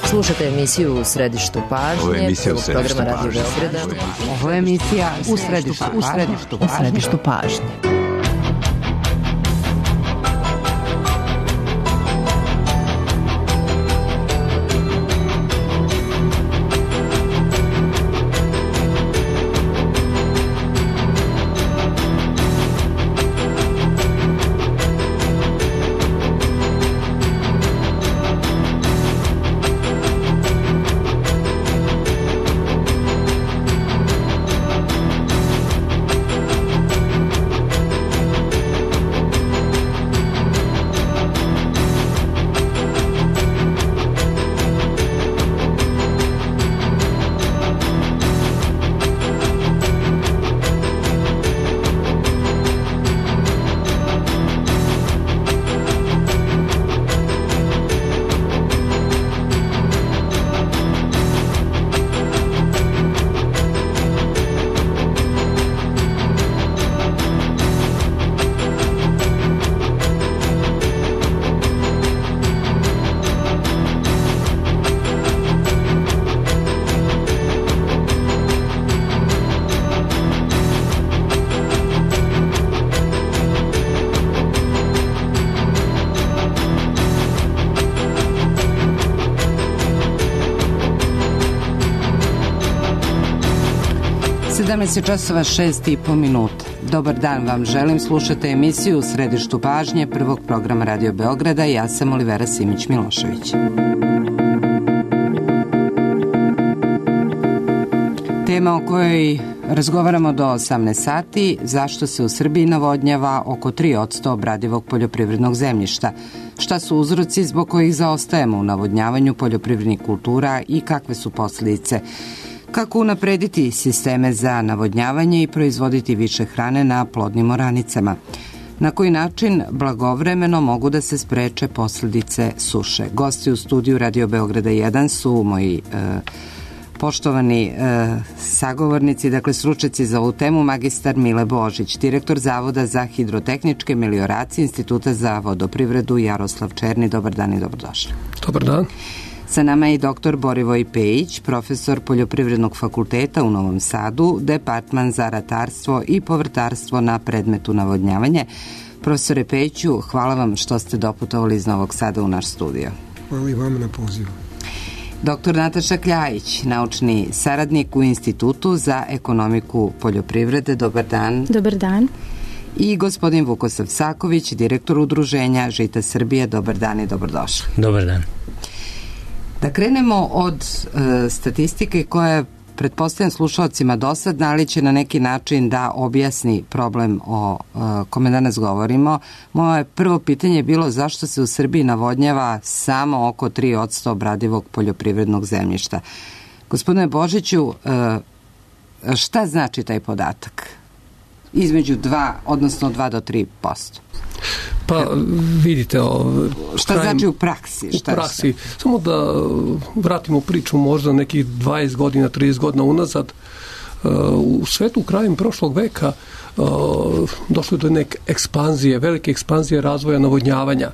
Slušate emisiju U središtu pažnje, programa Radio Beograda. Ovo je emisija U središtu pažnje. Časova 6:30. Dobar dan vam želim, slušate emisiju U središtu pažnje prvog programa Radio Beograda i ja sam Olivera Simić-Milošević. Tema o kojoj razgovaramo do 18 sati, zašto se u Srbiji navodnjava oko 3% obradivog poljoprivrednog zemljišta, šta su uzroci zbog kojih zaostajemo u navodnjavanju poljoprivrednih kultura i kakve su posljedice, kako unaprediti sisteme za navodnjavanje i proizvoditi više hrane na plodnim oranicama, na koji način blagovremeno mogu da se spreče posljedice suše. Gosti u studiju Radio Beograda 1 su moji poštovani sagovornici, dakle stručnjaci za ovu temu, magistar Mile Božić, direktor Zavoda za hidrotehničke melioracije Instituta za vodoprivredu Jaroslav Černi. Dobar dan i dobrodošli. Dobar dan. Sa nama je i dr. Borivoj Pejić, profesor Poljoprivrednog fakulteta u Novom Sadu, departman za ratarstvo i povrtarstvo na predmetu navodnjavanje. Profesore Pejiću, hvala vam što ste doputovali iz Novog Sada u naš studio. Hvala i vama na pozivu. Dr. Nataša Kljajić, naučni saradnik u Institutu za ekonomiku poljoprivrede. Dobar dan. Dobar dan. I gospodin Vukosav Saković, direktor udruženja Žita Srbije. Dobar dan i dobrodošli. Dobar dan. Da krenemo od statistike koja je, pretpostavljam, slušalcima dosadna, ali će na neki način da objasni problem o kome danas govorimo. Moje prvo pitanje je bilo zašto se u Srbiji navodnjava samo oko 3% obradivog poljoprivrednog zemljišta. Gospodine Božiću, šta znači taj podatak? Između 2 do 3%. Pa vidite... Šta znači u praksi? U praksi. Samo da vratimo priču možda nekih 20 godina, 30 godina unazad. U svetu krajem prošlog veka došlo je do neke ekspanzije, velike ekspanzije razvoja navodnjavanja.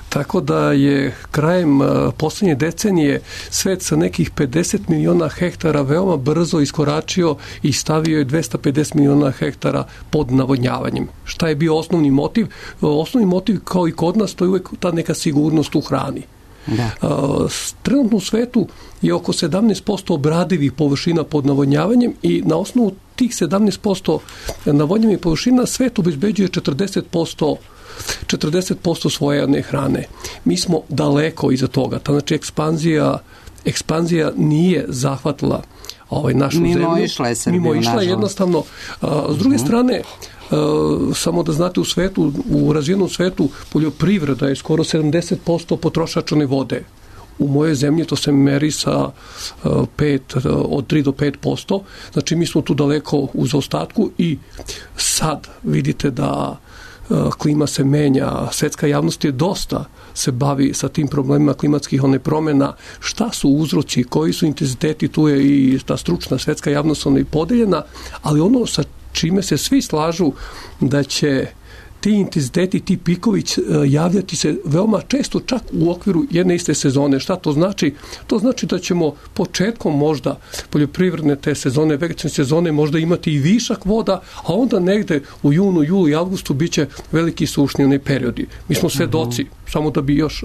Tako da je krajem posljednje decenije svet sa nekih 50 miliona hektara veoma brzo iskoračio i stavio je 250 miliona hektara pod navodnjavanjem. Šta je bio osnovni motiv? Osnovni motiv, kao i kod nas, to je uvek ta neka sigurnost u hrani. Da. Trenutno u svetu je oko 17% obradivih površina pod navodnjavanjem i na osnovu tih 17% navodnjavih površina svet obezbeđuje 40% svoje hrane. Mi smo daleko iza toga. Znači ekspanzija nije zahvatila našu zemlju. Mimo išla jednostavno. S druge strane, samo da znate, u razvijenom svetu poljoprivreda je skoro 70% potrošačane vode. U mojoj zemlji to se meri sa od 3 do 5%. Znači mi smo tu daleko u zaostatku i sad vidite da klima se menja, svetska javnost je dosta se bavi sa tim problemima klimatskih promjena, šta su uzroci, koji su intenziteti, tu je i ta stručna svetska javnost podeljena, ali ono sa čime se svi slažu da će ti intenziteti, ti pikovi javljati se veoma često, čak u okviru jedne iste sezone. Šta to znači? To znači da ćemo početkom možda poljoprivredne te sezone, vegetacione sezone možda imati i višak voda, a onda negde u junu, julu i avgustu biće veliki sušni periodi. Mi smo svedoci, samo da bi još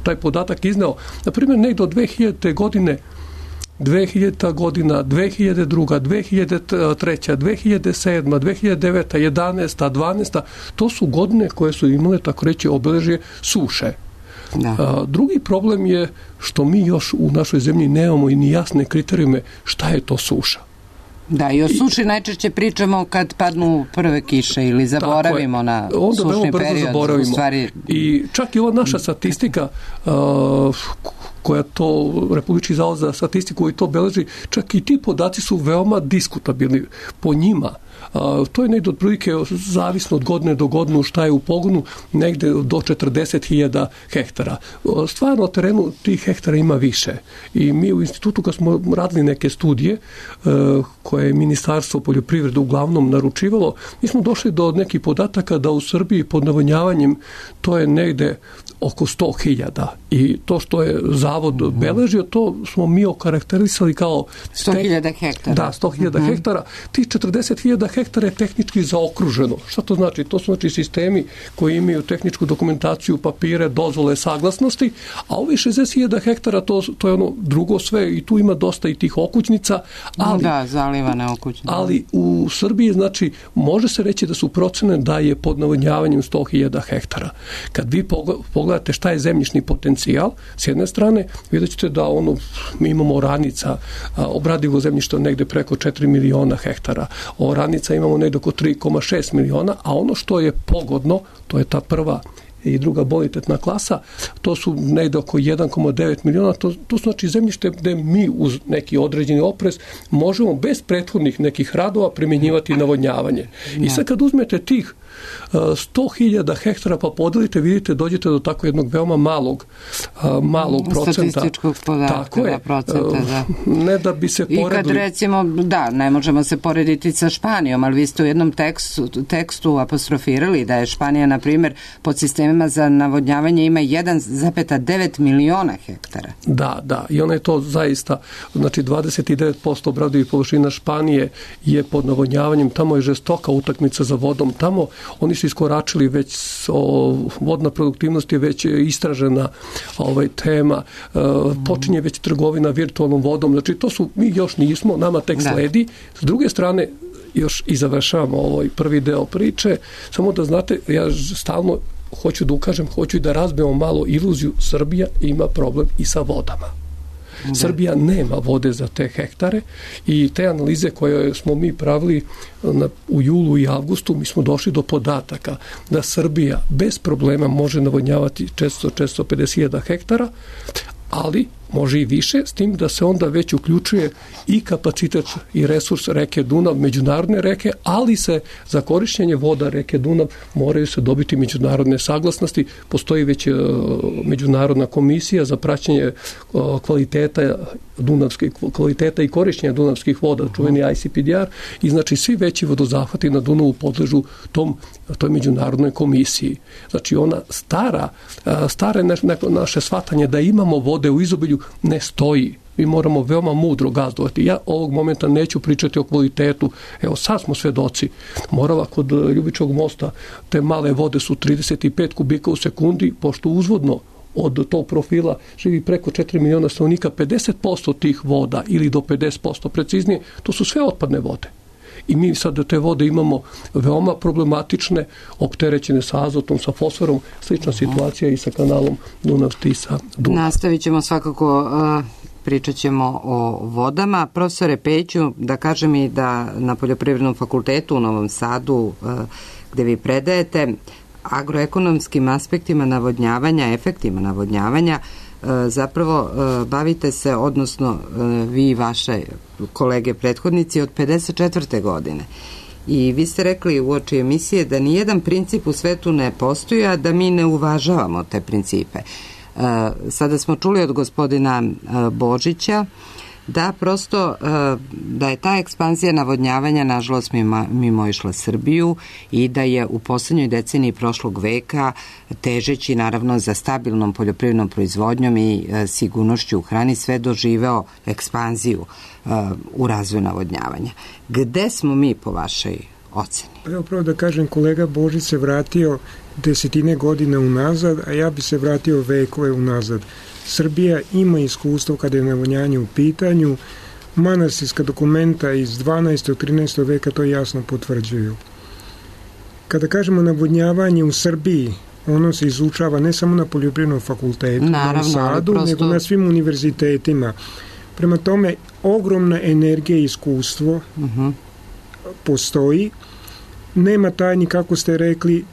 taj podatak izneo. Na primjer, negde od 2000. godine 2000. godina, 2002., 2003., 2007., 2009., 11., 12. to su godine koje su imale, tako reći, obeležje suše. Drugi problem je što mi još u našoj zemlji nemamo i ni jasne kriterijume šta je to suša. Da, i o suši najčešće pričamo kad padnu prve kiše ili zaboravimo na sušni period. U stvari... I čak i ova naša statistika koja to, Republički zavod za statistiku koji to beleži, čak i ti podaci su veoma diskutabilni po njima. To je negdje otprilike zavisno od godine do godinu šta je u pogonu, negde do 40.000 hektara. Stvarno na terenu tih hektara ima više. I mi u institutu kad smo radili neke studije koje je Ministarstvo poljoprivrede uglavnom naručivalo, mi smo došli do nekih podataka da u Srbiji pod navodnjavanjem to je negde oko 100.000 i to što je zavod beležio, to smo mi okarakterisali kao 100.000 hektara. Da, 100.000 hektara. Tih 40.000 hektara je tehnički zaokruženo. Šta to znači? To su znači sistemi koji imaju tehničku dokumentaciju, papire, dozvole, saglasnosti, a ovi 60.000 hektara to je ono drugo sve i tu ima dosta i tih okućnica. Ali, da, zalivane okućnice. Ali u Srbiji, znači, može se reći da su procene da je pod navodnjavanjem 100.000 hektara. Kad vi pogledate šta je zemljišni potencijal, s jedne strane, vidjet ćete da mi imamo oranica, obradivo zemljište negde preko 4 miliona hektara. Oranica imamo negde oko 3,6 miliona, a ono što je pogodno, to je ta prva i druga bonitetna klasa, to su negde oko 1,9 miliona, to su znači zemljište gde mi uz neki određeni oprez možemo bez prethodnih nekih radova primjenjivati navodnjavanje. I sad kad uzmete tih 100.000 hektara pa podelite, vidite, dođete do tako jednog veoma malog procenta. Statističkog podatka. Tako je. Procenta, da. Ne da bi se poredili. I kad recimo, da, ne možemo se porediti sa Španijom, ali vi ste u jednom tekstu apostrofirali da je Španija, na primjer, pod sistemima za navodnjavanje ima 1,9 miliona hektara. Da. I ona je to zaista, znači 29% obradivih površina Španije je pod navodnjavanjem. Tamo je žestoka utakmica za vodom. Tamo oni su iskoračili već, vodna produktivnost je već istražena tema, počinje već trgovina virtualnom vodom, znači to su, mi još nismo, nama tek sledi. S druge strane, još i završavamo ovaj prvi deo priče, samo da znate, ja stalno hoću da ukažem, hoću da razbijemo malo iluziju, Srbija ima problem i sa vodama. Srbija nema vode za te hektare i te analize koje smo mi pravili u julu i avgustu, mi smo došli do podataka da Srbija bez problema može navodnjavati 450.000 hektara, ali može i više, s tim da se onda već uključuje i kapacitet i resurs reke Dunav, međunarodne reke, ali se za korišćenje voda reke Dunav moraju se dobiti međunarodne saglasnosti. Postoji već međunarodna komisija za praćenje kvaliteta i korišćenja dunavskih voda, čuveni ICPDR, i znači svi veći vodozahvati na Dunavu podležu toj međunarodnoj komisiji. Znači ona stare naše shvatanje da imamo vode u izobilju ne stoji. Mi moramo veoma mudro gazdovati. Ja ovog momenta neću pričati o kvalitetu. Evo, sad smo svedoci. Morava kod Ljubičevog mosta, te male vode su 35 kubika u sekundi, pošto uzvodno od tog profila živi preko 4 miliona stanovnika, 50% tih voda ili do 50% preciznije, to su sve otpadne vode. I mi sad te vode imamo veoma problematične, opterećene sa azotom, sa fosforom, slična situacija i sa kanalom Dunav-Tisa-Dunav. Nastavit ćemo svakako, pričat ćemo o vodama. Profesore Pejiću, da kažem i da na Poljoprivrednom fakultetu u Novom Sadu, gde vi predajete, agroekonomskim aspektima navodnjavanja, efektima navodnjavanja, zapravo bavite se, odnosno vi i vaše kolege prethodnici, od 54. godine. I vi ste rekli uoči emisije da nijedan princip u svetu ne postoji, a da mi ne uvažavamo te principe. Sada smo čuli od gospodina Božića Da, prosto da je ta ekspanzija navodnjavanja nažalost mimoišla Srbiju i da je u poslednjoj deceniji prošlog veka, težeći naravno za stabilnom poljoprivrednom proizvodnjom i sigurnošću u hrani, sve doživeo ekspanziju u razvoju navodnjavanja. Gde smo mi po vašoj oceni? Evo pravo da kažem, kolega Božić se vratio desetine godina unazad, a ja bi se vratio vekove unazad. Srbija ima iskustvo kada je navodnjanje u pitanju. Manastirska dokumenta iz 12. 13. veka to jasno potvrđuju. Kada kažemo navodnjavanje u Srbiji, ono se izučava ne samo na poljoprivrednom fakultetu, u Sadu, nego na svim univerzitetima. Prema tome, ogromna energija i iskustvo postoji. Nema tajni, kako ste rekli,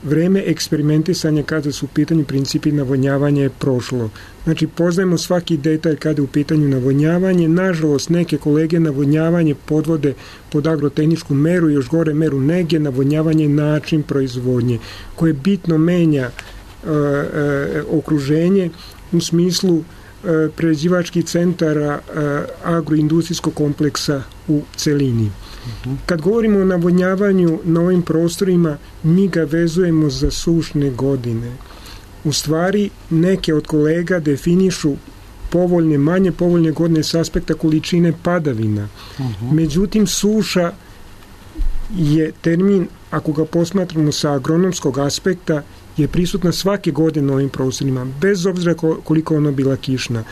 vreme eksperimentisanja kada su u pitanju principi navodnjavanja je prošlo. Znači, poznajemo svaki detalj kada je u pitanju navodnjavanje. Nažalost, neke kolege navodnjavanje podvode pod agrotehničku meru, još gore meru nege, navodnjavanje je način proizvodnje koje bitno menja okruženje u smislu prerađivačkih centara agroindustrijskog kompleksa u celini. Kad govorimo o navodnjavanju na ovim prostorima, mi ga vezujemo za sušne godine. U stvari, neke od kolega definišu povoljne, manje povoljne godine s aspekta količine padavina. Međutim, suša je termin, ako ga posmatramo sa agronomskog aspekta, je prisutna svake godine na ovim prostorima, bez obzira koliko ona bila kišna.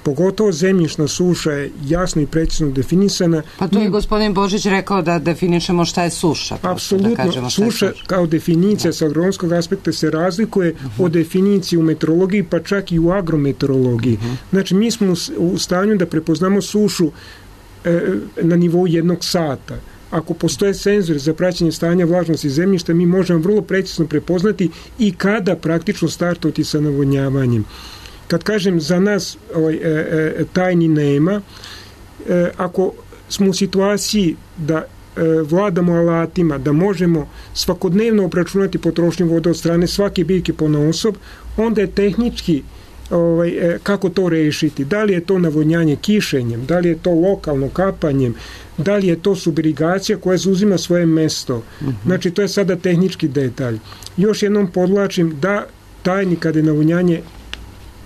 Pogotovo zemljišna suša je jasno i precizno definisana. Pa to je gospodin Božić rekao da definišemo šta je suša. Apsolutno, suša kao definicija sa agronomskog aspekta se razlikuje od definicije u meteorologiji, pa čak i u agrometeorologiji. Znači, mi smo u stanju da prepoznamo sušu na nivou 1 sata. Ako postoje senzor za praćenje stanja vlažnosti zemljišta, mi možemo vrlo precizno prepoznati i kada praktično startovati sa navodnjavanjem. Kad kažem za nas tajni nema, ako smo u situaciji da vladamo alatima, da možemo svakodnevno obračunati potrošnju vode od strane svake biljke ponaosob, onda je tehnički kako to rešiti. Da li je to navodnjanje kišenjem, da li je to lokalno kapanjem, da li je to subirigacija koja zauzima svoje mesto. Znači, to je sada tehnički detalj. Još jednom podlačim da tajni kada je navodnjanje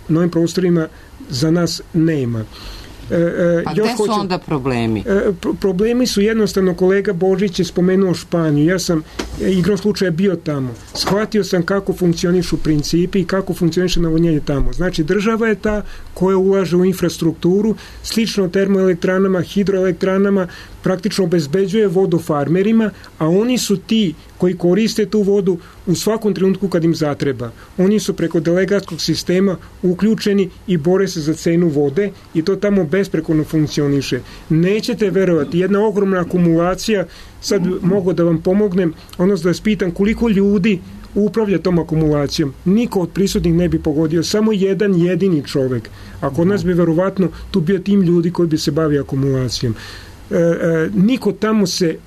na ovim prostorima za nas nema. Pa gde su onda problemi? Problemi su jednostavno, kolega Božić je spomenuo Španiju. Ja sam igrom slučaja bio tamo. Shvatio sam kako funkcionišu principi i kako funkcioniše navodnjanje tamo. Znači, država je ta koja ulaže u infrastrukturu, slično termoelektranama, hidroelektranama, praktično obezbeđuje vodu farmerima, a oni su ti koji koriste tu vodu u svakom trenutku kad im zatreba. Oni su preko delegatskog sistema uključeni i bore se za cenu vode i to tamo besprekorno funkcioniše. Nećete verovati, jedna ogromna akumulacija, sad mogu da vam pomognem, odnosno da vas pitam koliko ljudi upravlja tom akumulacijom. Niko od prisutnih ne bi pogodio, samo jedan jedini čovek. A kod nas bi verovatno tu bio tim ljudi koji bi se bavio akumulacijom. Niko tamo se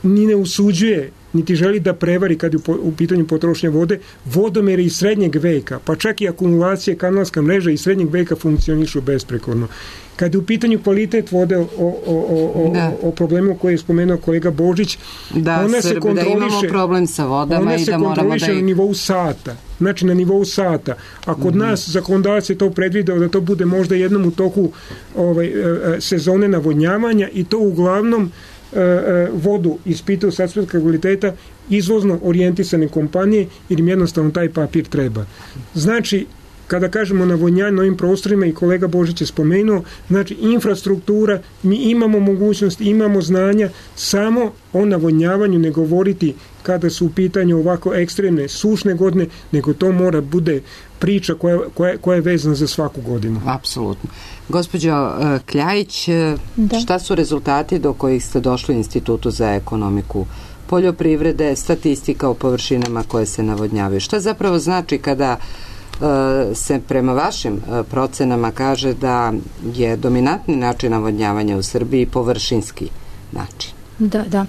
ni ne usuđuje, niti želi da prevari kad je u pitanju potrošnje vode. Vodomeri iz srednjeg veka, pa čak i akumulacije, kanalska mreža iz srednjeg veka funkcionišu besprekorno. Kad je u pitanju kvalitet vode, o problemu koje je spomenuo kolega Božić, ona se kontroliše, da imamo problem sa vodama i da moramo da na nivou sata. Znači, na nivou sata. A kod nas zakonodavac je to predvideo da to bude možda jednom u toku sezone navodnjavanja i to uglavnom vodu ispitaju sa aspekta kvaliteta izvozno orijentisane kompanije jer im jednostavno taj papir treba. Znači, kada kažemo navodnjanje na ovim prostorima, i kolega Božić je spomenuo, znači infrastruktura, mi imamo mogućnost, imamo znanja, samo o navodnjavanju ne govoriti kada su u pitanju ovako ekstremne sušne godine, nego to mora bude priča koja je vezana za svaku godinu. Apsolutno. Gospođo Kljajić, šta su rezultati do kojih ste došli u Institutu za ekonomiku poljoprivrede, statistika o površinama koje se navodnjavaju? Šta zapravo znači kada se prema vašim procenama kaže da je dominantni način navodnjavanja u Srbiji površinski način? Da.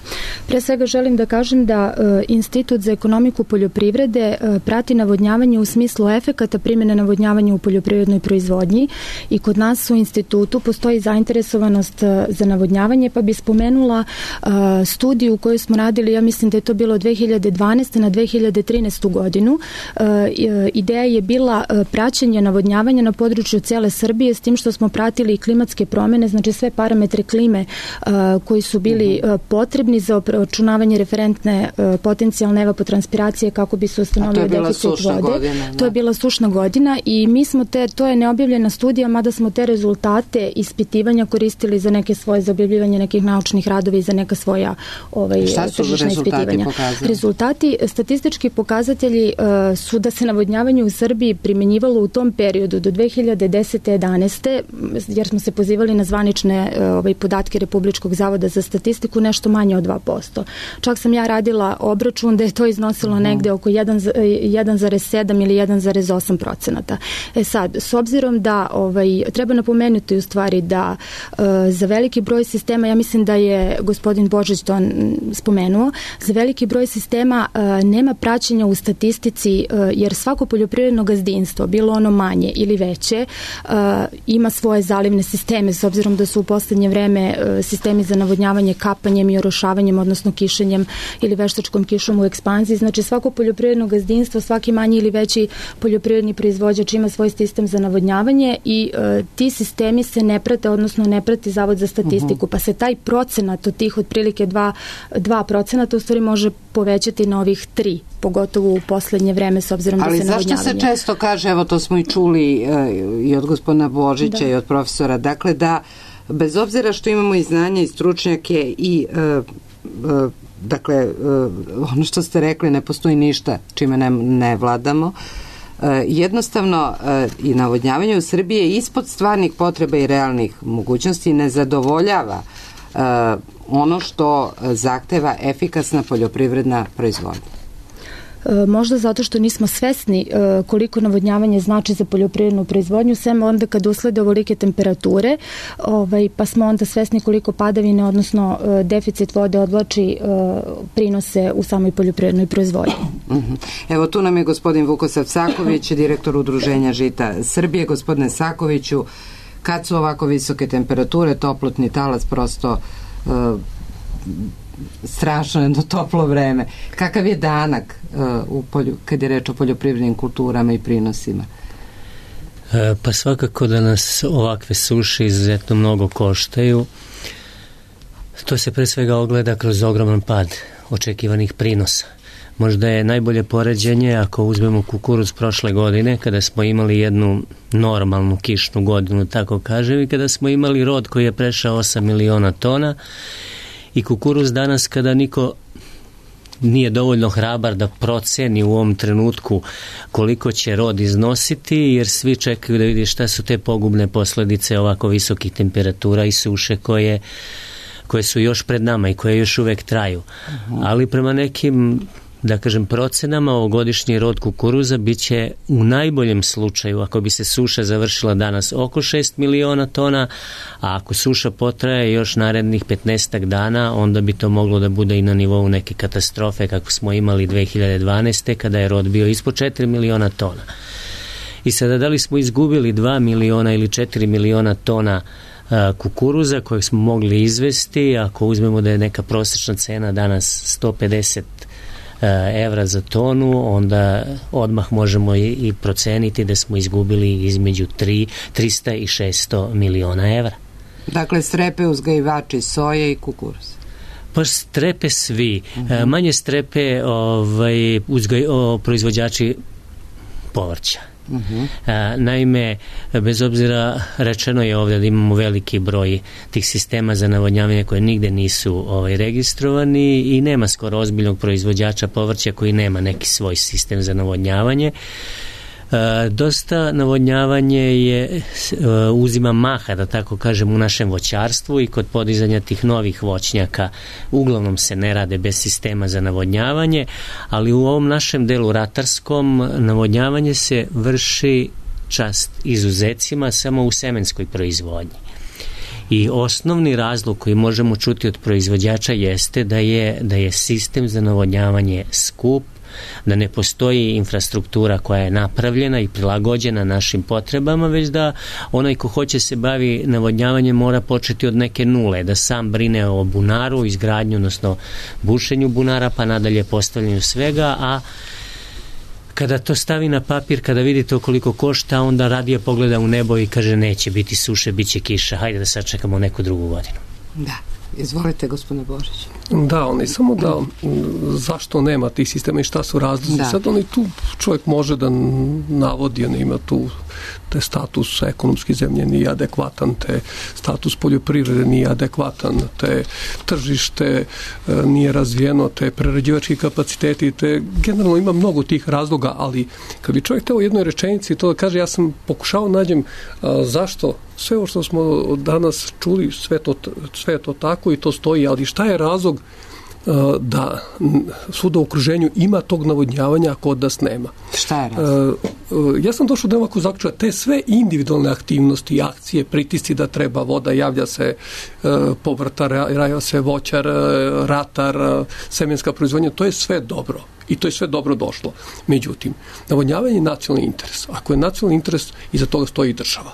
Pre svega želim da kažem da Institut za ekonomiku poljoprivrede prati navodnjavanje u smislu efekata primjene navodnjavanja u poljoprivrednoj proizvodnji i kod nas u institutu postoji zainteresovanost za navodnjavanje, pa bi spomenula studiju koju smo radili, ja mislim da je to bilo 2012. na 2013. godinu. Ideja je bila praćenje navodnjavanja na području cele Srbije, s tim što smo pratili i klimatske promjene, znači sve parametre klime koji su bili potrebni za obračunavanje referentne potencijalne evapotranspiracije kako bi se ustanovio deficit vode. To je bila sušna godina i mi smo to je neobjavljena studija, mada smo te rezultate ispitivanja koristili za neke svoje, za objavljivanje nekih naučnih radova i za neka svoja tržišna ispitivanja. Rezultati, statistički pokazatelji su da se navodnjavanje u Srbiji primjenjivalo u tom periodu do 2010. 11. jer smo se pozivali na zvanične podatke Republičkog zavoda za statistiku, nešto manje od 2%. Čak sam ja radila obračun da je to iznosilo negde oko 1,7 ili 1,8%. Sad, s obzirom da treba napomenuti u stvari da za veliki broj sistema, ja mislim da je gospodin Božić to spomenuo, za veliki broj sistema nema praćenja u statistici, jer svako poljoprivredno gazdinstvo, bilo ono manje ili veće, ima svoje zalivne sisteme, s obzirom da su u poslednje vreme sistemi za navodnjavanje kapanjem i orošavanjem, odnosno kišenjem ili veštačkom kišom u ekspanziji. Znači svako poljoprivredno gazdinstvo, svaki manji ili veći poljoprivredni proizvođač ima svoj sistem za navodnjavanje i ti sistemi se ne prate, odnosno ne prati Zavod za statistiku, pa se taj procenat od tih otprilike 2% u stvari može povećati na ovih 3%, pogotovo u poslednje vreme, s obzirom da se navodnjavanje. Ali zašto se često kaže, evo to smo i čuli i od gospodina Božića i od profesora, dakle da bez obzira što imamo i znanja i stručnjake i dakle ono što ste rekli, ne postoji ništa čime ne vladamo, jednostavno i navodnjavanje u Srbiji je ispod stvarnih potreba i realnih mogućnosti, ne zadovoljava ono što zahteva efikasna poljoprivredna proizvodnja. Možda zato što nismo svesni koliko navodnjavanje znači za poljoprivrednu proizvodnju, sem onda kad uslede ovolike temperature, pa smo onda svesni koliko padavine, odnosno deficit vode odvlači prinose u samoj poljoprivrednoj proizvodnji. Evo tu nam je gospodin Vukosav Saković, direktor Udruženja Žita Srbije. Gospodine Sakoviću, kad su ovako visoke temperature, toplotni talas prosto strašno jedno toplo vreme. Kakav je danak kad je reč o poljoprivrednim kulturama i prinosima? Pa svakako da nas ovakve suše izuzetno mnogo koštaju. To se pre svega ogleda kroz ogroman pad očekivanih prinosa. Možda je najbolje poređenje ako uzmemo kukuruz prošle godine, kada smo imali jednu normalnu kišnu godinu, tako kažem, i kada smo imali rod koji je prešao 8 miliona tona, i kukuruz danas kada niko nije dovoljno hrabar da proceni u ovom trenutku koliko će rod iznositi, jer svi čekaju da vidi šta su te pogubne posledice ovako visokih temperatura i suše koje su još pred nama i koje još uvek traju. Ali prema nekim, da kažem, procenama, ovogodišnji rod kukuruza biće u najboljem slučaju, ako bi se suša završila danas, oko 6 miliona tona, a ako suša potraje još narednih 15 dana, onda bi to moglo da bude i na nivou neke katastrofe kako smo imali 2012. kada je rod bio ispod 4 miliona tona. I sada da li smo izgubili 2 miliona ili 4 miliona tona kukuruza kojeg smo mogli izvesti, ako uzmemo da je neka prosječna cena danas 150 evra za tonu, onda odmah možemo i proceniti da smo izgubili između 300 i 600 miliona evra. Dakle, strepe uzgajivači soje i kukuruz. Pa strepe svi. Manje strepe proizvođači povrća. Naime, bez obzira, rečeno je ovdje da imamo veliki broj tih sistema za navodnjavanje koje nigde nisu registrovani i nema skoro ozbiljnog proizvođača povrća koji nema neki svoj sistem za navodnjavanje. Dosta navodnjavanje uzima maha, da tako kažem, u našem voćarstvu i kod podizanja tih novih voćnjaka uglavnom se ne rade bez sistema za navodnjavanje, ali u ovom našem delu ratarskom navodnjavanje se vrši, čast izuzecima, samo u semenskoj proizvodnji. I osnovni razlog koji možemo čuti od proizvođača jeste da je sistem za navodnjavanje skup, da ne postoji infrastruktura koja je napravljena i prilagođena našim potrebama, već da onaj ko hoće se bavi navodnjavanjem mora početi od neke nule, da sam brine o bunaru, izgradnju, odnosno bušenju bunara, pa nadalje postavljanju svega, a kada to stavi na papir, kada vidite koliko košta, onda radije pogleda u nebo i kaže neće biti suše, bit će kiša, hajde da sačekamo neku drugu godinu. Da. Izvolite, gospodine Božić. Da, oni samo da zašto nema tih sistema i šta su razlozi. Da. Sad oni tu čovjek može da navodi, on ima tu te status ekonomski zemlje nije adekvatan, te status poljoprivrede nije adekvatan, te tržište nije razvijeno, te prerađivački kapaciteti, te generalno ima mnogo tih razloga, ali kad bi čovjek teo u jednoj rečenici to da kaže, ja sam pokušao nađem zašto sve ovo što smo danas čuli, sve to tako i to stoji, ali šta je razlog da svuda u okruženju ima tog navodnjavanja, a kod nas nema. Šta je razlog? Ja sam došao do ovako zaključka, te sve individualne aktivnosti, akcije, pritisci da treba voda, javlja se povrtar, javlja se voćar, ratar, semenska proizvodnja, to je sve dobro. I to je sve dobro došlo. Međutim, navodnjavanje je nacionalni interes. Ako je nacionalni interes, iza toga stoji država.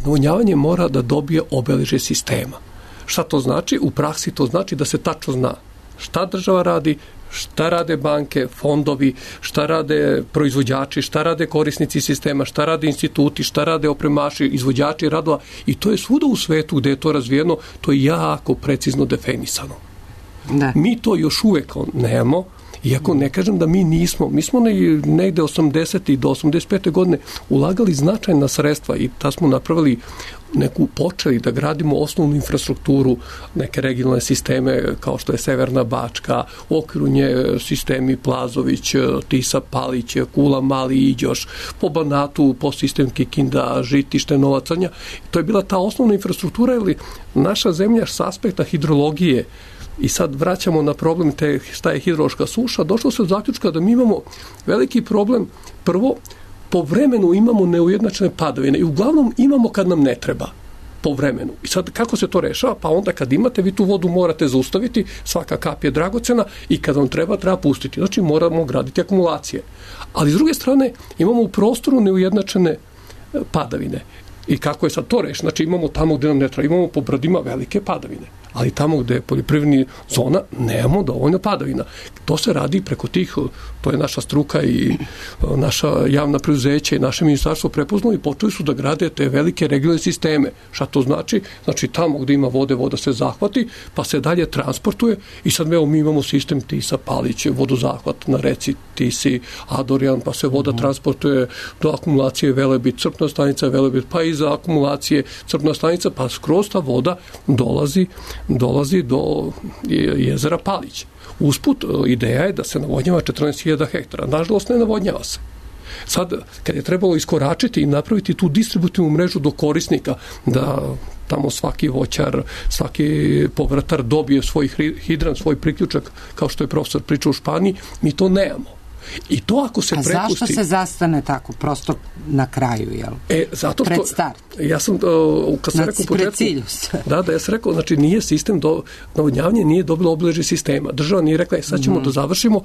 Navodnjavanje mora da dobije obeležje sistema. Šta to znači? U praksi to znači da se tačno zna šta država radi, šta rade banke, fondovi, šta rade proizvođači, šta rade korisnici sistema, šta rade instituti, šta rade opremaši, izvođači radova, i to je svuda u svetu gde je to razvijeno, to je jako precizno definisano. Da. Mi to još uvek nemamo, iako ne kažem da mi smo negde 80. do 85. godine ulagali značajna sredstva i ta smo napravili počeli da gradimo osnovnu infrastrukturu, neke regionalne sisteme kao što je Severna Bačka, u okviru nje sistemi Plazović, Tisa, Palić, Kula, Mali, Iđoš, po Banatu, po sistem Kikinda, Žitište, Nova Crnja. To je bila ta osnovna infrastruktura, ili naša zemlja s aspekta hidrologije, i sad vraćamo na problem šta je hidrološka suša, došlo se od zaključka da mi imamo veliki problem. Prvo, po vremenu imamo neujednačene padavine i uglavnom imamo kad nam ne treba po vremenu. I sad kako se to rešava? Pa onda kad imate, vi tu vodu morate zaustaviti, svaka kap je dragocena i kad vam treba pustiti. Znači moramo graditi akumulacije. Ali s druge strane imamo u prostoru neujednačene padavine. I kako je sad to rešeno? Znači imamo tamo gde nam ne treba, imamo po brdima velike padavine, ali tamo gde je poljoprivredna zona nemamo dovoljno padavina. To se radi preko tih, to je naša struka i naša javna preduzeća i naše ministarstvo prepoznalo i počeli su da grade te velike regionalne sisteme. Šta to znači? Znači tamo gde ima vode, voda se zahvati, pa se dalje transportuje i sad mi imamo sistem Tisa, Palić, vodozahvat na reci Tisi, Adorjan, pa se voda transportuje do akumulacije Velebit, crpna stanica Velebit, pa iza akumulacije crpna stanica, pa skroz ta voda dolazi do jezera Palić. Usput, ideja je da se navodnjava 14.000 hektara. Nažalost, ne navodnjava se. Sad, kad je trebalo iskoračiti i napraviti tu distributivnu mrežu do korisnika, da tamo svaki voćar, svaki povrtar dobije svoj hidran, svoj priključak, kao što je profesor pričao u Španiji, mi to nemamo. I to ako se prepusti... A zašto se zastane tako, prosto na kraju, jel? Zato što... Pred start. Ja sam, kad sam rekao u početku... Ja sam rekao, znači nije sistem, navodnjavanje nije dobilo obeležje sistema. Država nije rekla, sad ćemo da završimo,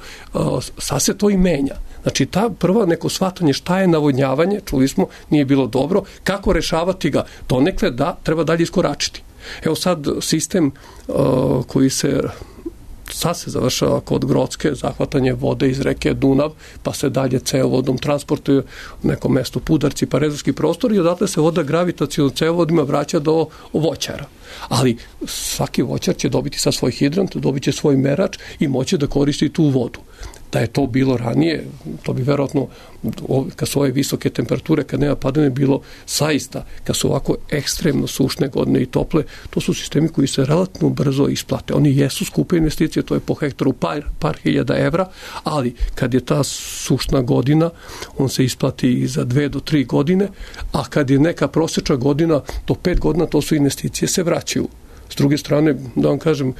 sad se to i menja. Znači, ta prva neko shvatanje šta je navodnjavanje, čuli smo, nije bilo dobro, kako rešavati ga, donekle da treba dalje iskoračiti. Evo sad sistem koji se... Sad se završava kod Grocke, zahvatanje vode iz reke Dunav, pa se dalje cevovodom transportuje u neko mesto Pudarci, pa rezervski prostor i odatle se voda gravitacionalnim cevovodima vraća do voćara. Ali svaki voćar će dobiti sa svoj hidrant, dobit će svoj merač i moće da koristi tu vodu. Da je to bilo ranije, to bi verovatno, kad su ove visoke temperature, kad nema padavine, bilo saista, kad su ovako ekstremno sušne godine i tople, to su sistemi koji se relativno brzo isplate. Oni jesu skupe investicije, to je po hektaru par hiljada evra, ali kad je ta sušna godina, on se isplati i za 2 do 3 godine, a kad je neka prosječna godina do 5 godina, to su investicije se vraćaju. S druge strane, da vam kažem,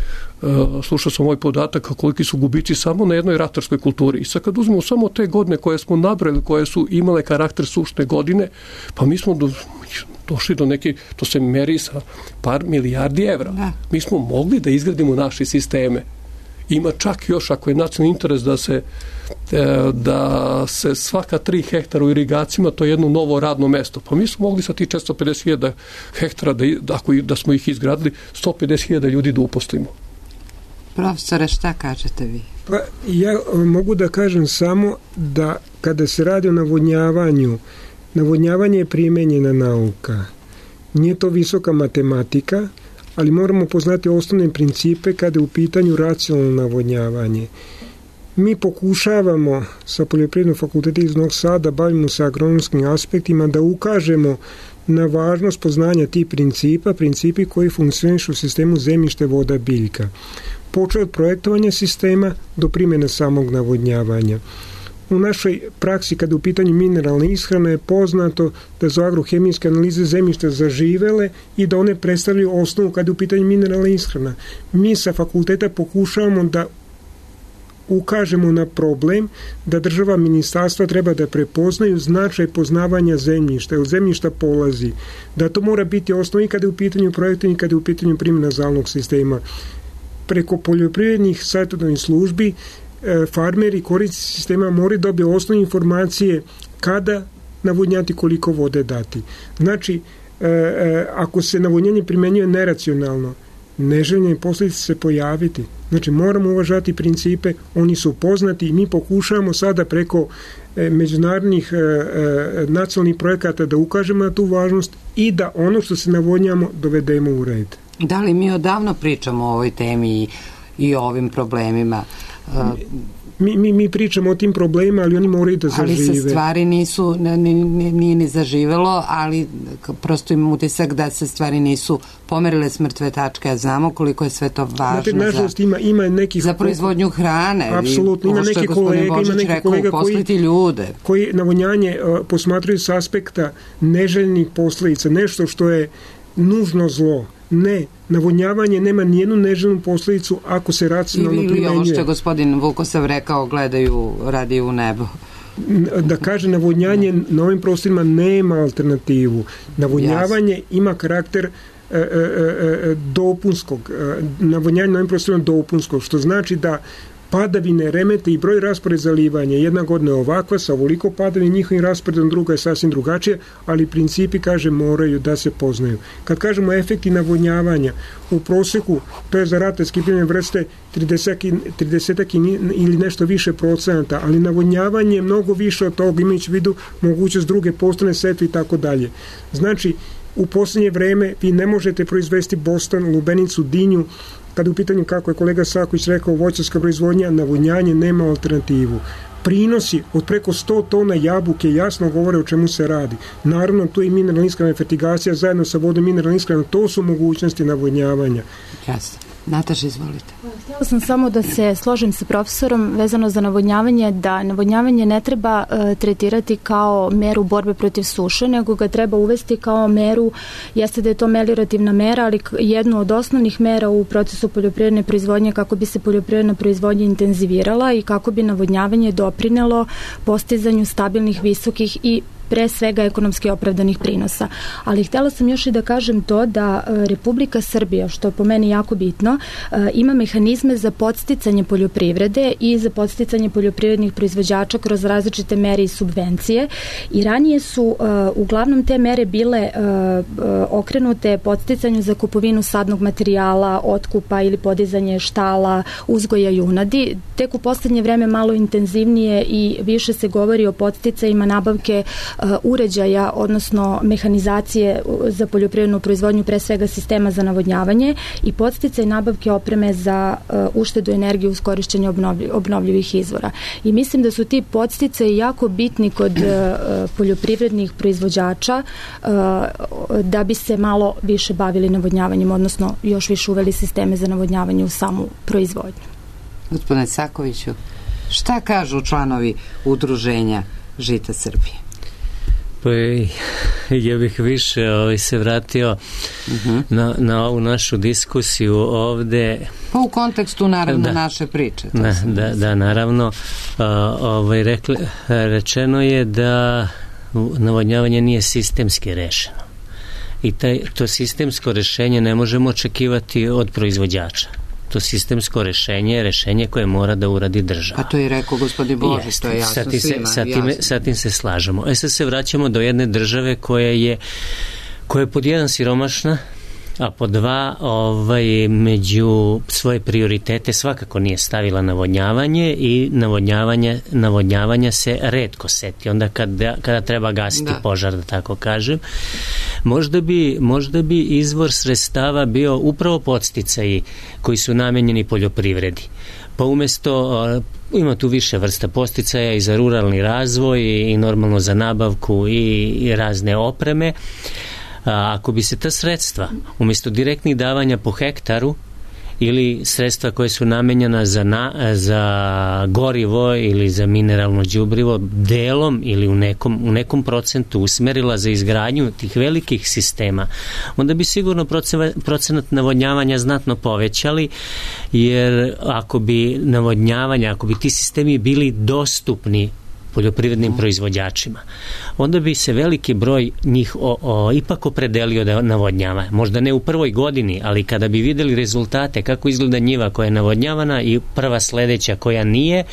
slušao sam ovaj podatak koliki su gubici samo na jednoj ratarskoj kulturi. I sad kad uzmemo samo te godine koje smo nabrali, koje su imale karakter sušne godine, pa mi smo došli do neke, to se meri sa par milijardi evra. Da. Mi smo mogli da izgradimo naše sisteme. Ima čak još, ako je nacionalni interes da se svaka 3 hektara u irigacijama, to je jedno novo radno mesto. Pa mi smo mogli sa tih 450.000 hektara, da smo ih izgradili, 150.000 ljudi da uposlimo. Profesore, šta kažete vi? Pa ja mogu da kažem samo da kada se radi o navodnjavanju, navodnjavanje je primenjena nauka. Nije to visoka matematika, ali moramo poznati osnovne principe kada je u pitanju racionalno navodnjavanje. Mi pokušavamo sa Poljoprivrednog fakulteta iz Novog Sada, bavimo se agronomskim aspektima, da ukažemo na važnost poznanja tih principi koji funkcionišu u sistemu zemljište, voda, biljka. Počeo od projektovanja sistema do primjene samog navodnjavanja. U našoj praksi, kada u pitanju mineralne ishrane, je poznato da su agrohemijske analize zemljišta zaživele i da one predstavljaju osnovu kada je u pitanju mineralna ishrana. Mi sa fakulteta pokušavamo da ukažemo na problem da država, ministarstva treba da prepoznaju značaj poznavanja zemljišta, od zemljišta polazi, da to mora biti osnovi kada je u pitanju projektovanja i kada je u pitanju primjena zalnog sistema. Preko poljoprivrednih savjetodavnih službi farmeri, korisnici sistema moraju dobiti osnovne informacije kada navodnjati, koliko vode dati. Znači, ako se navodnjanje primenjuje neracionalno, neželjene posljedice se pojaviti. Znači, moramo uvažati principe, oni su poznati i mi pokušavamo sada preko međunarodnih nacionalnih projekata da ukažemo na tu važnost i da ono što se navodnjamo dovedemo u red. Da li mi odavno pričamo o ovoj temi i o ovim problemima? Mi pričamo o tim problemima, ali oni moraju da zažive. Ali se stvari nije ni zaživelo, ali prosto imam utisak da se stvari nisu pomerile s mrtve tačke, a znamo koliko je sve to važno. Nažalost, ima nekih za proizvodnju hrane. Apsolutno, ima neki kolega koji navodnjanje posmatraju s aspekta neželjenih posledica, nešto što je nužno zlo. Ne, navodnjavanje nema nijednu neželjenu posljedicu ako se racionalno primenjuje. Ili ovo što je gospodin Vukosav rekao, radi u nebo. Da kaže, navodnjanje na ovim prostorima nema alternativu. Navodnjavanje ima karakter dopunskog. Navodnjanje na ovim prostorima dopunskog, što znači da padavine remete i broj raspored zalivanja. Jedna godina je ovakva, sa ovoliko padavina, njihovim rasporedom, druga je sasvim drugačije, ali principi, kaže, moraju da se poznaju. Kad kažemo efekti navodnjavanja, u proseku, to je za ratarske biljne vrste 30 ili nešto više procenata, ali navodnjavanje je mnogo više od toga, imajući u vidu mogućnost druge postane setve i tako dalje. Znači, u posljednje vreme vi ne možete proizvesti bostan, lubenicu, dinju, kada u pitanju, kako je kolega Saković rekao, voćarska proizvodnja, navodnjanje nema alternativu. Prinosi od preko 100 tona jabuke jasno govore o čemu se radi. Naravno, tu je i mineralna ishrana, fertigacija zajedno sa vodom mineralna ishrana, to su mogućnosti navodnjavanja. Jasno. Nataša, izvolite. Htjela sam samo da se složim sa profesorom vezano za navodnjavanje, da navodnjavanje ne treba tretirati kao meru borbe protiv suše, nego ga treba uvesti kao meru, jeste da je to meliorativna mera, ali jednu od osnovnih mera u procesu poljoprivredne proizvodnje kako bi se poljoprivredna proizvodnja intenzivirala i kako bi navodnjavanje doprinelo postizanju stabilnih, visokih i pre svega ekonomski opravdanih prinosa. Ali htjela sam još i da kažem to da Republika Srbija, što je po meni jako bitno, ima mehanizme za podsticanje poljoprivrede i za podsticanje poljoprivrednih proizvođača kroz različite mere i subvencije. I ranije su uglavnom te mere bile okrenute podsticanju za kupovinu sadnog materijala, otkupa ili podizanje štala, uzgoja junadi. Tek u poslednje vreme malo intenzivnije i više se govori o podsticajima nabavke uređaja, odnosno mehanizacije za poljoprivrednu proizvodnju, pre svega sistema za navodnjavanje i podsticaj nabavke opreme za uštedu energije uz korišćenje obnovljivih izvora. I mislim da su ti podsticaji jako bitni kod poljoprivrednih proizvođača da bi se malo više bavili navodnjavanjem, odnosno još više uveli sisteme za navodnjavanje u samu proizvodnju. Gospodine Sakoviću, šta kažu članovi udruženja Žita Srbije? Pa ja bih više se vratio na ovu našu diskusiju ovde. Pa u kontekstu naravno naše priče. Da, naravno. Rečeno je da navodnjavanje nije sistemski rešeno. I to sistemsko rešenje ne možemo očekivati od proizvođača. To sistemsko rešenje je rešenje koje mora da uradi država. Pa to je rekao gospodin Božić, to je jasno svima. Sa tim se slažemo. Sad se vraćamo do jedne države koja je pod jedan siromašna, a po dva među svoje prioritete svakako nije stavila navodnjavanje i navodnjavanja se retko seti. Onda kada treba gasiti požar, da tako kažem. Možda bi izvor sredstava bio upravo podsticaji koji su namenjeni poljoprivredi. Pa umesto, ima tu više vrsta podsticaja i za ruralni razvoj i normalno za nabavku i razne opreme. Ako bi se ta sredstva umjesto direktnih davanja po hektaru ili sredstva koje su namenjena za gorivo ili za mineralno đubrivo delom ili u nekom procentu usmerila za izgradnju tih velikih sistema, onda bi sigurno procenat navodnjavanja znatno povećali, jer ako bi ti sistemi bili dostupni poljoprivrednim proizvođačima, onda bi se veliki broj njih ipak opredelio da navodnjava. Možda ne u prvoj godini, ali kada bi videli rezultate kako izgleda njiva koja je navodnjavana i prva sledeća koja nije,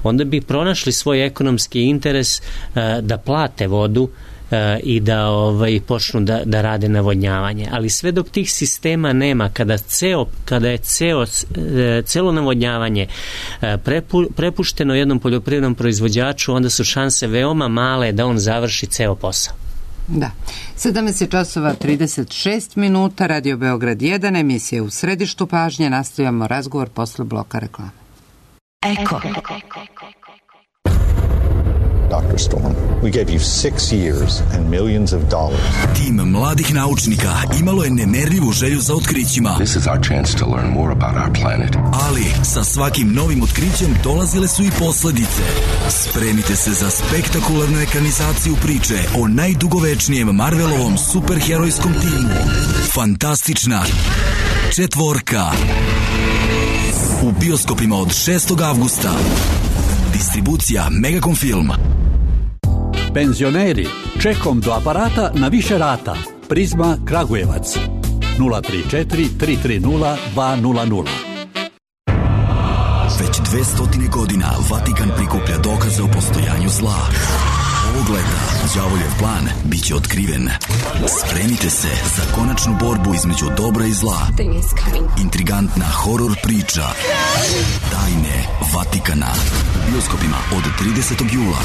onda bi pronašli svoj ekonomski interes da plate vodu i da počnu da rade navodnjavanje. Ali sve dok tih sistema nema, kada je celo navodnjavanje prepušteno jednom poljoprivrednom proizvođaču, onda su šanse veoma male da on završi ceo posao. Da. 17:36, Radio Beograd 1, emisija U središtu pažnje. Nastavljamo razgovor posle bloka reklame. Eko. Dr. Storm, we gave you 6 years and millions of dollars. Tim mladih naučnika imalo je nemerljivu želju za otkrićima. This is our chance to learn more about our planet. Ali sa svakim novim otkrićem dolazile su i posledice. Spremite se za spektakularnu ekranizaciju priče o najdugovečnijem Marvelovom superherojskom timu. Fantastična četvorka. U bioskopima od 6. avgusta. Distribucija Megacom Film. Penzioneri, čekom do aparata na više rata. Prizma Kragujevac 034 330 200. Već 200 godina Vatikan prikuplja dokaze o postojanju zla. Ovog leta đavoljev plan biće otkriven. Spremite se za konačnu borbu između dobra i zla. Intrigantna horor priča Tajne Vatikana. U bioskopima od 30. jula.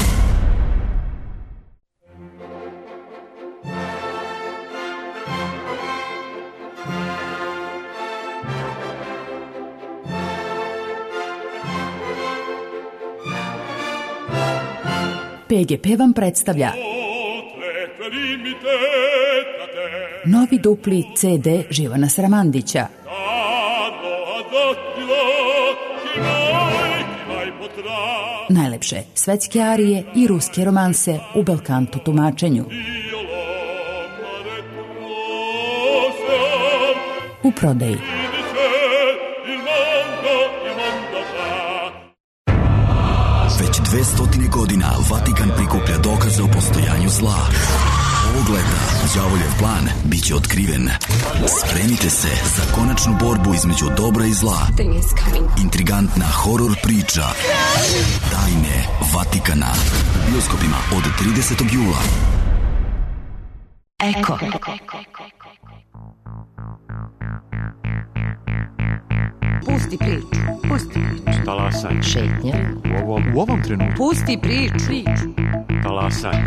PGP vam predstavlja novi dupli CD Živana Sramandića. Najlepše svetske arije i ruske romanse u belkanto tumačenju. U prodaji. Već 200 godina Vatikan prikuplja dokaze o postojanju zla. Ovog leta đavoljev plan biće otkriven. Spremite se za konačnu borbu između dobra i zla. Intrigantna horor priča Tajne Vatikana. U bioskopima od 30. jula. Eko. Pusti priču. Talasaj. Šetnja. U ovom trenutku. Pusti priču. Talasaj.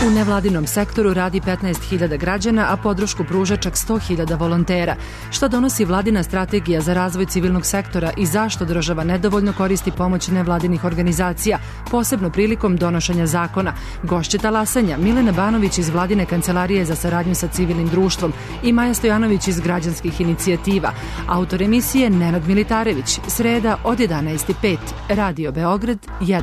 U nevladinom sektoru radi 15.000 građana, a podršku pruža čak 100.000 volontera. Šta donosi vladina strategija za razvoj civilnog sektora i zašto država nedovoljno koristi pomoć nevladinih organizacija, posebno prilikom donošenja zakona? Gošće talasanja Milena Banović iz vladine kancelarije za saradnju sa civilnim društvom i Maja Stojanović iz građanskih inicijativa. Autor emisije Nenad Militarević, sreda od 11:05, Radio Beograd 1.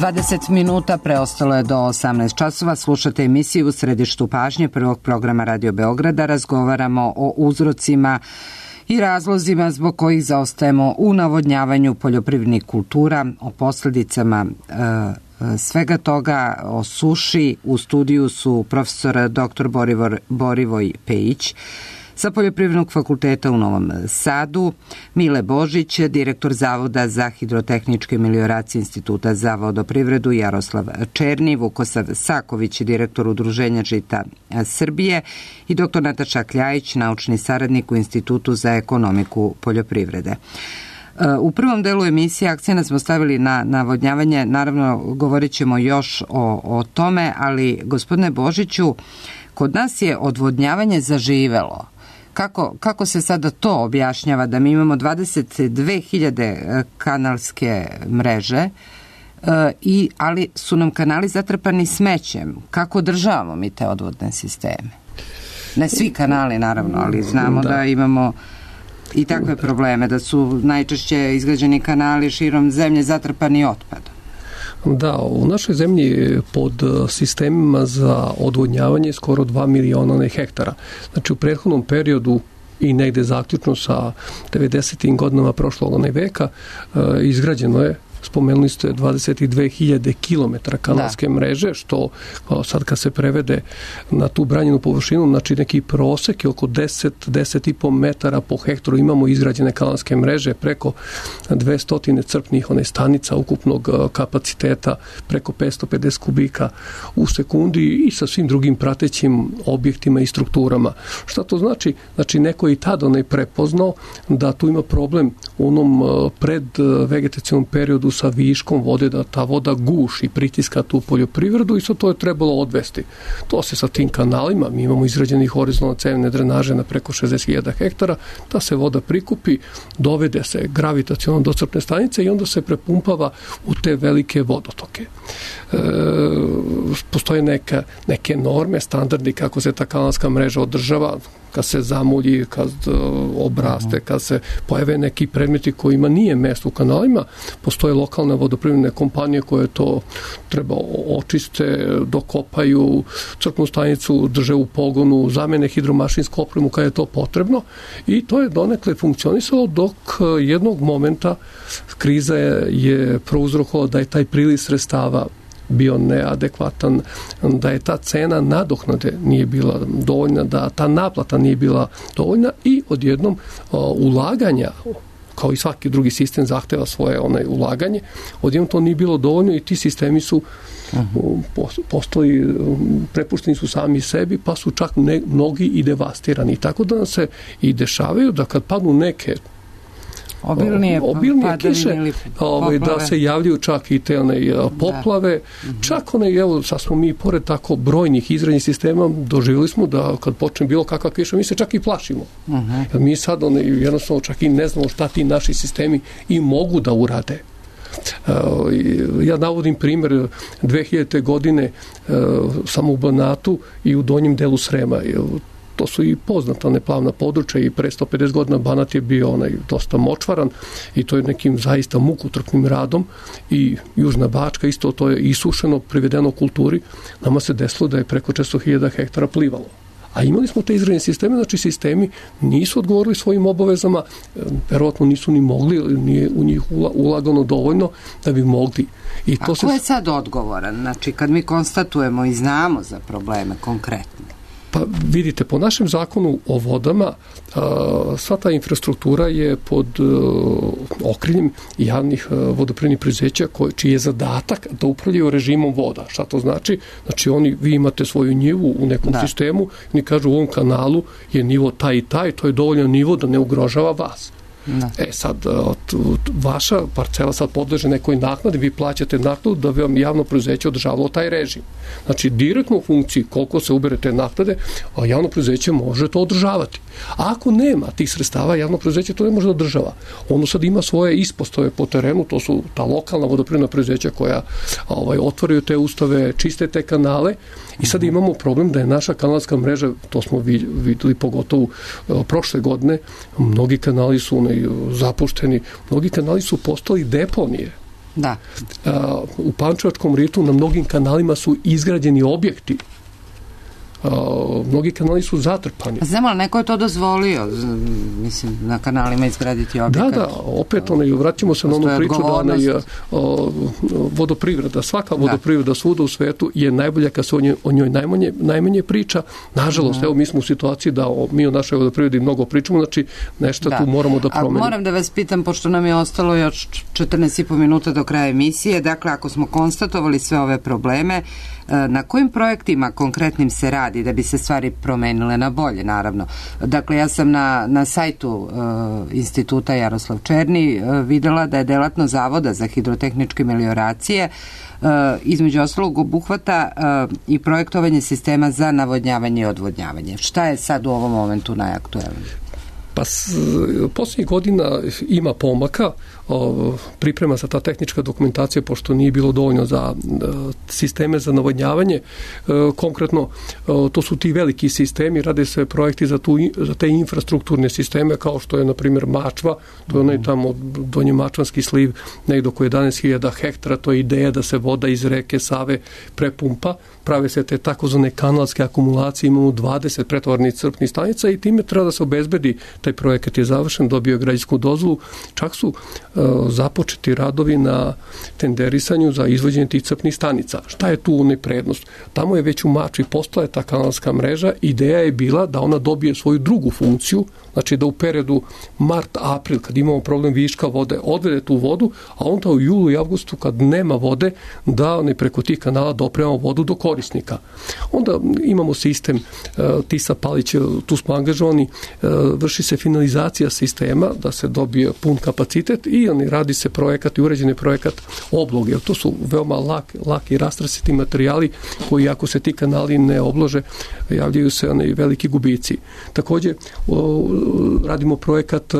20 minuta preostalo je do 18 časova. Slušate emisiju U središtu pažnje prvog programa Radio Beograda. Razgovaramo o uzrocima i razlozima zbog kojih zaostajemo u navodnjavanju poljoprivrednih kultura, o posljedicama svega toga, o suši. U studiju su profesor dr. Borivoj Pejić sa Poljoprivrednog fakulteta u Novom Sadu, Mile Božić, direktor Zavoda za hidrotehničke melioracije Instituta za vodoprivredu, Jaroslav Černi, Vukosav Saković, direktor Udruženja Žita Srbije i dr. Nataša Kljajić, naučni saradnik u Institutu za ekonomiku poljoprivrede. U prvom delu emisije akcenta smo stavili na navodnjavanje, naravno govorit ćemo još o tome, ali gospodine Božiću, kod nas je odvodnjavanje zaživelo. Kako se sada to objašnjava da mi imamo 22.000 kanalske mreže, ali su nam kanali zatrpani smećem? Kako održavamo mi te odvodne sisteme? Ne svi kanali naravno, ali znamo da imamo i takve probleme, da su najčešće izgrađeni kanali širom zemlje zatrpani otpadom. Da, u našoj zemlji pod sistemima za odvodnjavanje skoro 2 miliona hektara. Znači u prethodnom periodu i negde zaključno sa 90. godinama prošlog veka izgrađeno je, spomenuli ste, 22.000 kilometara kanalske mreže, što sad kad se prevede na tu branjenu površinu, znači neki prosek je oko 10,5 metara po hektaru. Imamo izgrađene kanalske mreže, preko 200 crpnih stanica ukupnog kapaciteta, preko 550 kubika u sekundi i sa svim drugim pratećim objektima i strukturama. Šta to znači? Znači neko je i tada prepoznao da tu ima problem u onom predvegetacionom periodu sa viškom vode, da ta voda guši, pritiska tu poljoprivredu i sad to je trebalo odvesti. To se sa tim kanalima, mi imamo izrađeni horizontalne cevne drenaže na preko 60.000 hektara, ta se voda prikupi, dovede se gravitaciono do crpne stanice i onda se prepumpava u te velike vodotoke. Postoje neke norme, standardi kako se ta kanalska mreža održava, kad se zamulji, kad obraste, kad se pojave neki predmeti kojima nije mesto u kanalima, postoje lokalne vodoprivredne kompanije koje to treba očiste, dokopaju, crpnu stanicu drže u pogonu, zamene hidromašinsku opremu kada je to potrebno i to je donekle funkcionisalo dok jednog momenta kriza je prouzrokovala da je taj priliv sredstava bio neadekvatan, da je ta cena nadoknade nije bila dovoljna, da ta naplata nije bila dovoljna i odjednom ulaganja, kao i svaki drugi sistem zahteva svoje ulaganje, odjednom to nije bilo dovoljno i ti sistemi su postali, prepušteni su sami sebi, pa su čak mnogi i devastirani. Tako da nam se i dešavaju da kad padnu neke obilnije kiše, da se javljaju čak i te poplave, čak sad smo mi pored tako brojnih izradnih sistema doživjeli smo da kad počne bilo kakva kiša mi se čak i plašimo. Mi sad jednostavno čak i ne znamo šta ti naši sistemi i mogu da urade. Ja navodim primjer 2000. godine samo u Banatu i u donjem delu Srema. To su i poznata neplavna područja i pre 150 godina Banat je bio dosta močvaran i to je nekim zaista mukotrpnim radom i Južna Bačka isto to je isušeno, privedeno kulturi. Nama se desilo da je preko 400.000 hektara plivalo. A imali smo te izravne sisteme, znači sistemi nisu odgovorili svojim obavezama, verovatno nisu ni mogli, nije u njih ulagano dovoljno da bi mogli. A ko je sad odgovoran? Znači kad mi konstatujemo i znamo za probleme konkretne? Pa vidite, po našem zakonu o vodama sva ta infrastruktura je pod okriljem javnih vodoprivrednih preduzeća čiji je zadatak da upravljaju režimom voda. Šta to znači? Znači vi imate svoju njivu u nekom sistemu, oni kažu u ovom kanalu je nivo taj i taj, to je dovoljan nivo da ne ugrožava vas. Sad, vaša parcela sad podleže nekoj naknadi, vi plaćate naknadu da bi vam javno preduzeće održavalo taj režim. Znači, direktno u funkciji koliko se ubere te naknade, a javno preduzeće može to održavati. A ako nema tih sredstava, javno preduzeće to ne može da održava. Ono sad ima svoje ispostave po terenu, to su ta lokalna vodoprivredna preduzeća koja otvaraju te ustave, čiste te kanale i sad imamo problem da je naša kanalska mreža, to smo videli pogotovo prošle godine, mnogi kanali su zapušteni, mnogi kanali su postali deponije. Da. U Pančevačkom ritu na mnogim kanalima su izgrađeni objekti. Mnogi kanali su zatrpani. Znamo, ali neko je to dozvolio, mislim, na kanalima izgraditi objekat. Da, opet vratimo se na onu priču da vodoprivreda, svaka vodoprivreda svuda u svetu je najbolja kad se o njoj najmanje priča. Nažalost, evo mi smo u situaciji da mi o našoj vodoprivredi mnogo pričamo, znači nešto tu moramo da promenimo. A moram da vas pitam, pošto nam je ostalo još 14,5 minuta do kraja emisije, dakle, ako smo konstatovali sve ove probleme, na kojim projektima konkretnim se radi da bi se stvari promenile na bolje, naravno. Dakle, ja sam na sajtu Instituta Jaroslav Černi videla da je delatnost Zavoda za hidrotehničke melioracije između ostalog obuhvata i projektovanje sistema za navodnjavanje i odvodnjavanje. Šta je sad u ovom momentu najaktuelnije? Pa posljednjih godina ima pomaka, priprema se ta tehnička dokumentacija pošto nije bilo dovoljno za sisteme za navodnjavanje. Konkretno, to su ti veliki sistemi, rade se projekti za te infrastrukturne sisteme kao što je, na primjer, Mačva, to je onaj tamo donji Mačvanski sliv, negdje oko 11.000 hektara, to je ideja da se voda iz reke Save prepumpa, prave se te takozvane kanalske akumulacije, imamo 20 pretovarnih crpnih stanica i time treba da se obezbedi. Taj projekat je završen, dobio je građevinsku dozvolu, čak su započeti radovi na tenderisanju za izvođenje tih crpnih stanica. Šta je tu prednost? Tamo je već u Mačvi postala ta kanalska mreža, ideja je bila da ona dobije svoju drugu funkciju, znači da u periodu mart-april, kad imamo problem viška vode, odvede tu vodu, a onda u julu i avgustu, kad nema vode, da preko tih kanala dopremamo vodu do korisnika. Onda imamo sistem Tisa Palić, tu smo angažovani, vrši se finalizacija sistema da se dobije pun kapacitet i radi se projekat i uređen je projekat obloge. To su veoma laki rastresiti materijali koji, ako se ti kanali ne oblože, javljaju se veliki gubici. Također radimo projekat,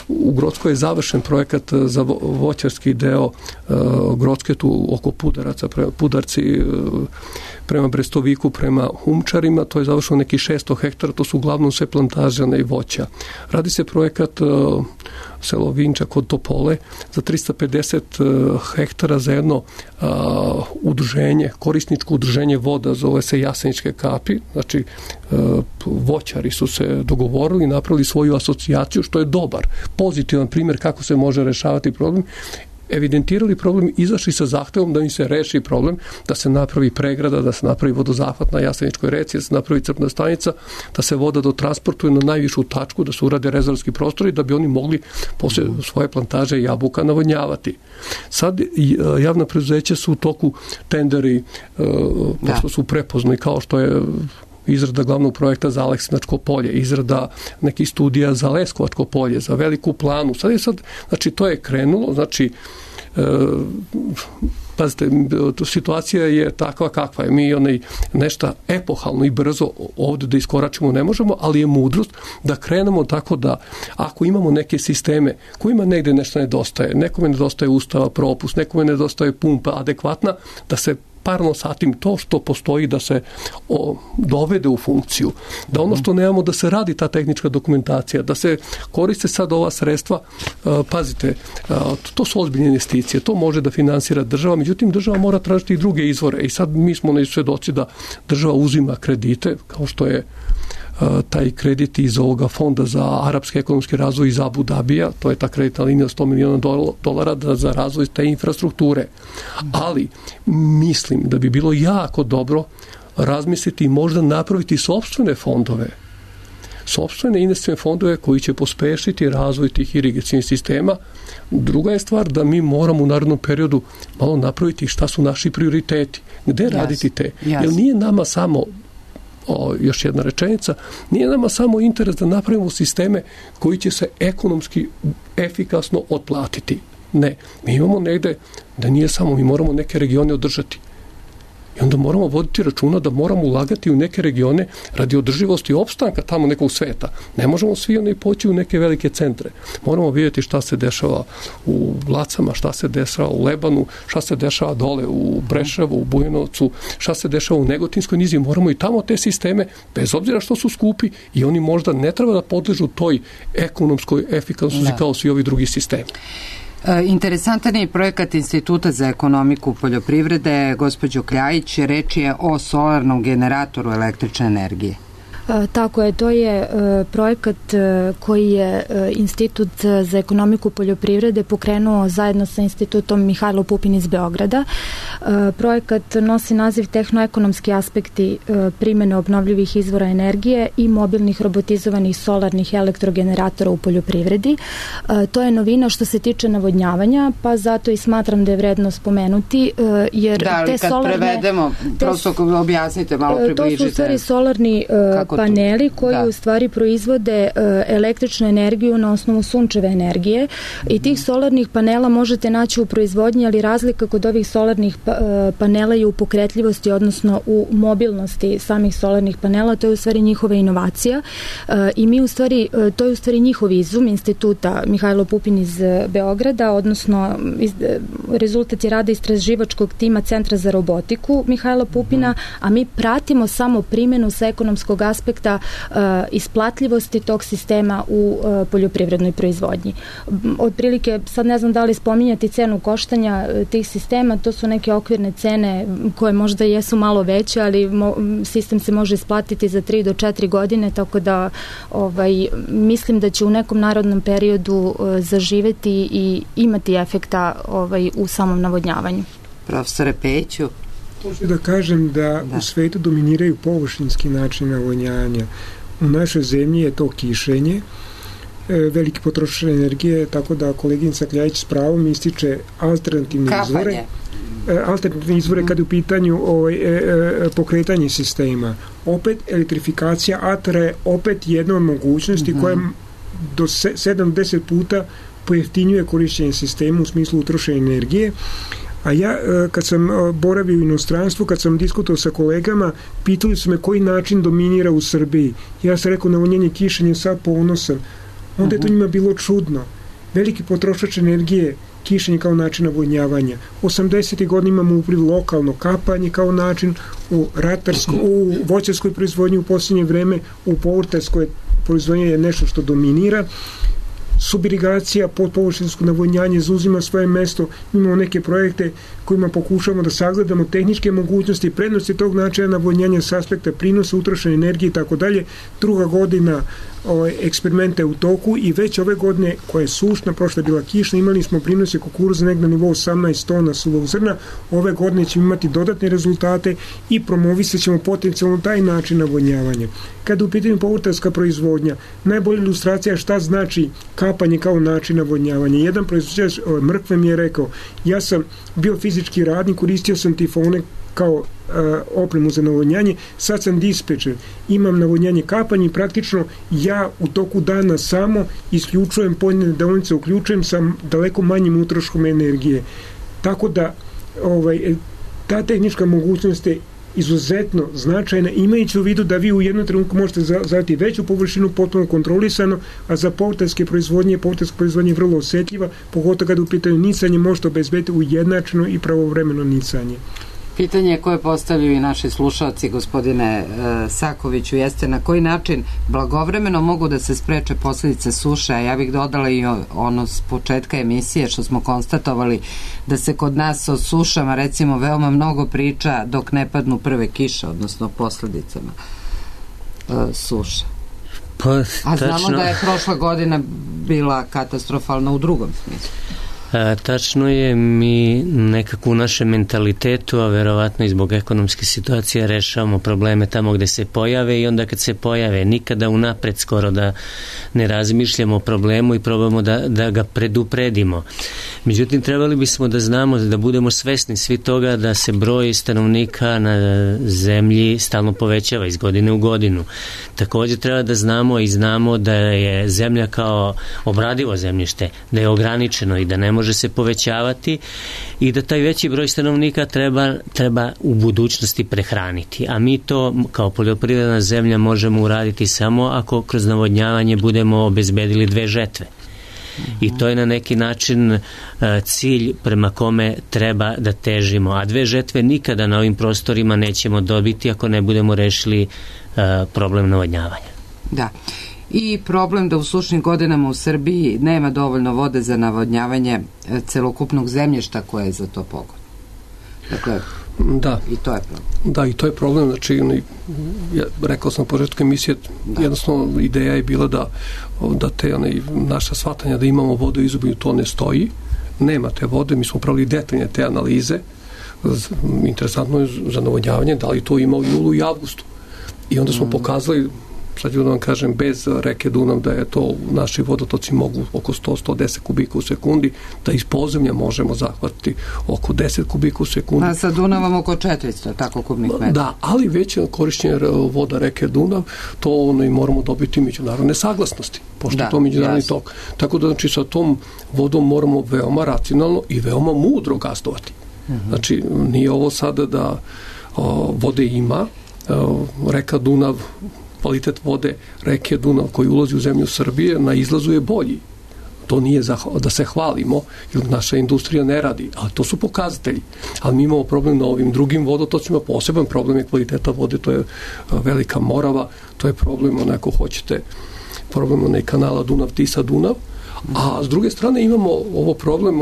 u Grockoj je završen projekat za voćarski deo Grocke, tu oko Pudaraca, Pudarci prema Brestoviku, prema Humčarima, to je završeno neki 600 hektara, to su uglavnom sve plantaže i voća. Radi se projekat selo Vinča kod Topole za 350 hektara za jedno udruženje, korisničko udruženje voda, zove se Jaseničke kapi, znači voćari su se dogovorili, napravili svoju asocijaciju, što je dobar, pozitivan primjer kako se može rešavati problem, evidentirali problem, izašli sa zahtevom da im se reši problem, da se napravi pregrada, da se napravi vodozahvat na Jaseničkoj reci, da se napravi crpna stanica, da se voda dotransportuje na najvišu tačku, da se urade rezervski prostori, da bi oni mogli poslije svoje plantaže jabuka navodnjavati. Sad javna preduzeća su u toku tenderi, pošto su prepoznali, kao što je izrada glavnog projekta za Aleksinačko polje, izrada nekih studija za Leskovačko polje, za Veliku Planu. Znači to je krenulo, znači pazite, situacija je takva kakva je. Mi nešto epohalno i brzo ovdje da iskoračimo ne možemo, ali je mudrost da krenemo tako da ako imamo neke sisteme kojima negdje nešto nedostaje, nekome nedostaje ustava, propust, nekome nedostaje pumpa adekvatna, da se parno satim to što postoji da se dovede u funkciju. Da ono što nemamo da se radi ta tehnička dokumentacija, da se koriste sad ova sredstva, pazite, to su ozbiljne investicije, to može da finansira država, međutim država mora tražiti i druge izvore i sad mi smo svedoci da država uzima kredite, kao što je taj kredit iz ovoga fonda za arapski ekonomski razvoj iz Abu Dabija, to je ta kreditna linija $100 miliona za razvoj te infrastrukture. Ali mislim da bi bilo jako dobro razmisliti i možda napraviti sopstvene fondove, sopstvene investicione fondove koji će pospešiti razvoj tih irigacionih sistema. Druga je stvar da mi moramo u narednom periodu malo napraviti šta su naši prioriteti, gde raditi te. Jer nije nama samo još jedna rečenica, nije nama samo interes da napravimo sisteme koji će se ekonomski efikasno otplatiti. Ne, mi imamo negde da nije samo, mi moramo neke regione održati. I onda moramo voditi računa da moramo ulagati u neke regione radi održivosti opstanka tamo nekog sveta. Ne možemo svi poći u neke velike centre. Moramo vidjeti šta se dešava u Lacama, šta se dešava u Lebanu, šta se dešava dole u Breševu, u Bujanovcu, šta se dešava u Negotinskoj nizi. Moramo i tamo te sisteme, bez obzira što su skupi, i oni možda ne treba da podležu toj ekonomskoj efikasnosti kao svi ovi drugi sistemi. Interesantan je projekat Instituta za ekonomiku poljoprivrede. Gospođo Kljajić, reč je o solarnom generatoru električne energije. Tako je, to je projekat koji je Institut za ekonomiku poljoprivrede pokrenuo zajedno sa Institutom Mihajlo Pupin iz Beograda. Projekat nosi naziv Tehnoekonomski aspekti primjene obnovljivih izvora energije i mobilnih robotizovanih solarnih elektrogeneratora u poljoprivredi. To je novina što se tiče navodnjavanja, pa zato i smatram da je vredno spomenuti, jer te kad solarne... prevedemo, prosto objasnite, malo približite. To su u stvari solarni paneli koji u stvari proizvode električnu energiju na osnovu sunčeve energije i tih solarnih panela možete naći u proizvodnji, ali razlika kod ovih solarnih panela je u pokretljivosti, odnosno u mobilnosti samih solarnih panela. To je u stvari njihova inovacija i mi u stvari, to je u stvari njihov izum Instituta Mihajlo Pupin iz Beograda, odnosno rezultat je rada istraživačkog tima Centra za robotiku Mihajla Pupina, a mi pratimo samo primjenu sa ekonomskog aspekta isplatljivosti tog sistema u poljoprivrednoj proizvodnji. Otprilike, sad ne znam da li spominjati cenu koštanja tih sistema, to su neke okvirne cene koje možda jesu malo veće, ali sistem se može isplatiti za 3 do 4 godine, tako da mislim da će u nekom narodnom periodu zaživeti i imati efekta u samom navodnjavanju. Profesore Peću. Možda da kažem da u svetu dominiraju površinski način navodnjavanja. U našoj zemlji je to kišenje, veliki potrošač energije, tako da koleginica Kljajić s pravom ističe alternativne izvore. Alternativne izvore kad je u pitanju pokretanje sistema. Opet elektrifikacija atera je opet jedna od mogućnosti koja do 7-10 puta pojeftinjuje korišćenje sistema u smislu utrošene energije. A ja, kad sam boravio u inostranstvu, kad sam diskutovao sa kolegama, pitali su me koji način dominira u Srbiji. Ja sam rekao navodnjenje kišenjem, sad ponosan. Onda je to njima bilo čudno. Veliki potrošač energije, kišenje kao način navodnjavanja. 80. godina imamo upliv lokalno kapanje kao način, u voćarskoj proizvodnji u posljednje vreme, u povrtarskoj proizvodnji je nešto što dominira. Subirigacija, podpovršinsko navodnjanje zauzima svoje mesto. Imamo neke projekte kojima pokušavamo da sagledamo tehničke mogućnosti, prednosti tog načina navodnjanja s aspekta prinosa, utrošene energije i tako dalje. Druga godina eksperimente u toku i već ove godine, koja je sušna, prošla je bila kišna, imali smo prinose kukuruza negdje na nivou 18 tona suvog zrna. Ove godine ćemo imati dodatne rezultate i promovisat ćemo potencijalno taj način navodnjavanja. Kada u pitanju povrtarska proizvodnja, najbolja ilustracija šta znači kapanje kao način navodnjavanja. Jedan proizvođač mrkve mi je rekao, ja sam bio fizički radnik, koristio sam tifone kao opremu za navodnjanje, sad sam dispečer, imam navodnjanje kapanje i praktično ja u toku dana samo isključujem pojedine deonice, uključujem sa daleko manjim utroškom energije. Tako da ta tehnička mogućnost je izuzetno značajna, imajući u vidu da vi u jednom trenutku možete zadati veću površinu potpuno kontrolisano, a za povrtarske proizvodnje je vrlo osjetljiva, pogotovo kada u pitanju nicanje možete obezbediti ujednačeno i pravovremeno nicanje. Pitanje koje postavljaju i naši slušalci, gospodine Sakoviću, jeste na koji način blagovremeno mogu da se spreče posljedice suše, a ja bih dodala i ono s početka emisije što smo konstatovali da se kod nas o sušama recimo veoma mnogo priča dok ne padnu prve kiše, odnosno posljedicama suša. A znamo da je prošla godina bila katastrofalna u drugom smislu. Tačno je, mi nekako u našem mentalitetu, a verovatno i zbog ekonomske situacije, rešavamo probleme tamo gde se pojave i onda kad se pojave nikada unapred skoro da ne razmišljamo o problemu i probamo da ga predupredimo. Međutim, trebali bismo da znamo, da budemo svesni svi toga da se broj stanovnika na zemlji stalno povećava iz godine u godinu. Također treba da znamo i znamo da je zemlja kao obradivo zemljište, da je ograničeno i da ne može se povećavati i da taj veći broj stanovnika treba u budućnosti prehraniti. A mi to kao poljoprivredna zemlja možemo uraditi samo ako kroz navodnjavanje budemo obezbedili 2 žetve. I to je na neki način cilj prema kome treba da težimo. A 2 žetve nikada na ovim prostorima nećemo dobiti ako ne budemo rešili problem navodnjavanja. Da. i problem da u sušnim godinama u Srbiji nema dovoljno vode za navodnjavanje celokupnog zemljišta koje je za to pogodno. Dakle, da. I to je problem. Da, i to je problem. Znači, rekao sam na početku emisije, jednostavno ideja je bila da te naša shvatanja da imamo vodu u izobilju, to ne stoji. Nema te vode, mi smo pravili detaljne te analize. Interesantno je za navodnjavanje, da li to ima u julu i avgustu. I onda smo pokazali, sad ću da vam kažem, bez reke Dunav, da je to, naši vodotoci mogu oko 100-110 kubika u sekundi, da iz podzemlja možemo zahvatiti oko 10 kubika u sekundi. A sa Dunavom oko 400, tako kubnih metara. Da, ali već korišćenje voda reke Dunav, to i moramo dobiti međunarodne saglasnosti, pošto je to međunarodni tok. Tako da, znači, sa tom vodom moramo veoma racionalno i veoma mudro gazdovati. Znači, nije ovo sada da vode ima, reka Dunav, kvalitet vode reke Dunav koji ulazi u zemlju Srbije na izlazu je bolji. To nije da se hvalimo, jer naša industrija ne radi, ali to su pokazatelji. Ali mi imamo problem na ovim drugim vodotocima, poseban problem je kvaliteta vode, to je Velika Morava, to je problem, ako hoćete, problem kanala Dunav-Tisa-Dunav, a s druge strane imamo ovo problem,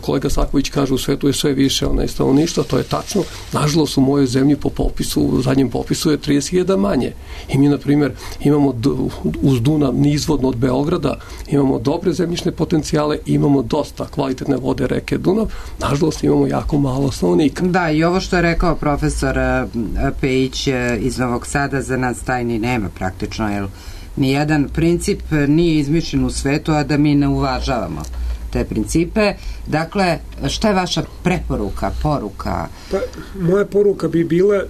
kolega Saković kaže u svetu je sve više stanovništva, to je tačno, nažalost u mojoj zemlji po popisu, u zadnjem popisu je 30.000 manje. I mi, na primjer, imamo uz Dunav nizvodno od Beograda, imamo dobre zemljišne potencijale, imamo dosta kvalitetne vode reke Dunav, nažalost imamo jako malo stanovnika. Da, i ovo što je rekao profesor Pejić iz Novog Sada, za nas tajni nema praktično, jer nijedan princip nije izmišljen u svetu, a da mi ne uvažavamo te principe. Dakle, šta je vaša preporuka, poruka? Pa, moja poruka bi bila,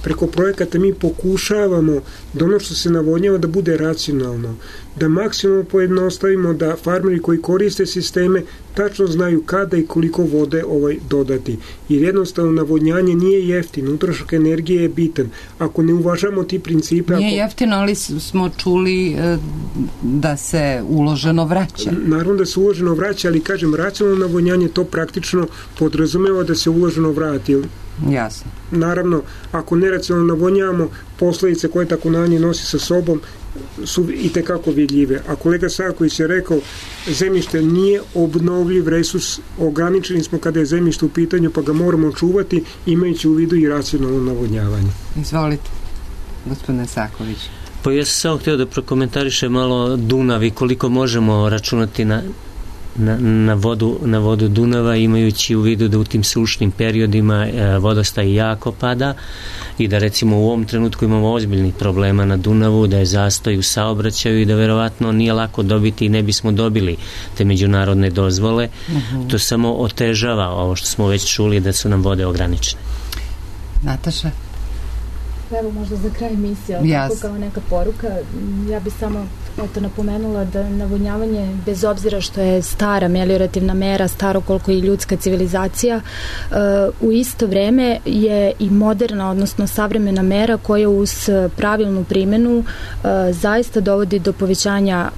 preko projekata mi pokušavamo da ono što se navodnjava da bude racionalno, da maksimalno pojednostavimo, da farmeri koji koriste sisteme tačno znaju kada i koliko vode dodati. Jer jednostavno navodnjanje nije jeftino, utrošak energije je bitan. Ako ne uvažamo ti principe... Nije jeftino, ali smo čuli da se uloženo vraća. Naravno da se uloženo vraća, ali kažem, racionalno navodnjanje to praktično podrazumeva da se uloženo vrati. Jasno. Naravno, ako neracionalno navodnjavamo, posledice koje tako nanje nosi sa sobom su i tekako vidljive. A kolega Sarković je rekao, zemljište nije obnovljiv resurs, ograničeni smo kada je zemljište u pitanju, pa ga moramo čuvati imajući u vidu i racionalno navodnjavanje. Izvolite, gospodine Saković. Pa ja sam samo htio da prokomentarišem malo Dunav i koliko možemo računati na vodu Dunava, imajući u vidu da u tim sušnim periodima vodostaj jako pada i da recimo u ovom trenutku imamo ozbiljnih problema na Dunavu, da je zastoj u saobraćaju i da verovatno nije lako dobiti i ne bismo dobili te međunarodne dozvole. To samo otežava ovo što smo već čuli, da su nam vode ograničene. Nataša? Evo možda za kraj emisije, tako kao neka poruka, ja bih samo napomenula da navodnjavanje, bez obzira što je stara meliorativna mera, staro koliko i ljudska civilizacija, u isto vreme je i moderna, odnosno savremena mera koja uz pravilnu primjenu zaista dovodi do povećanja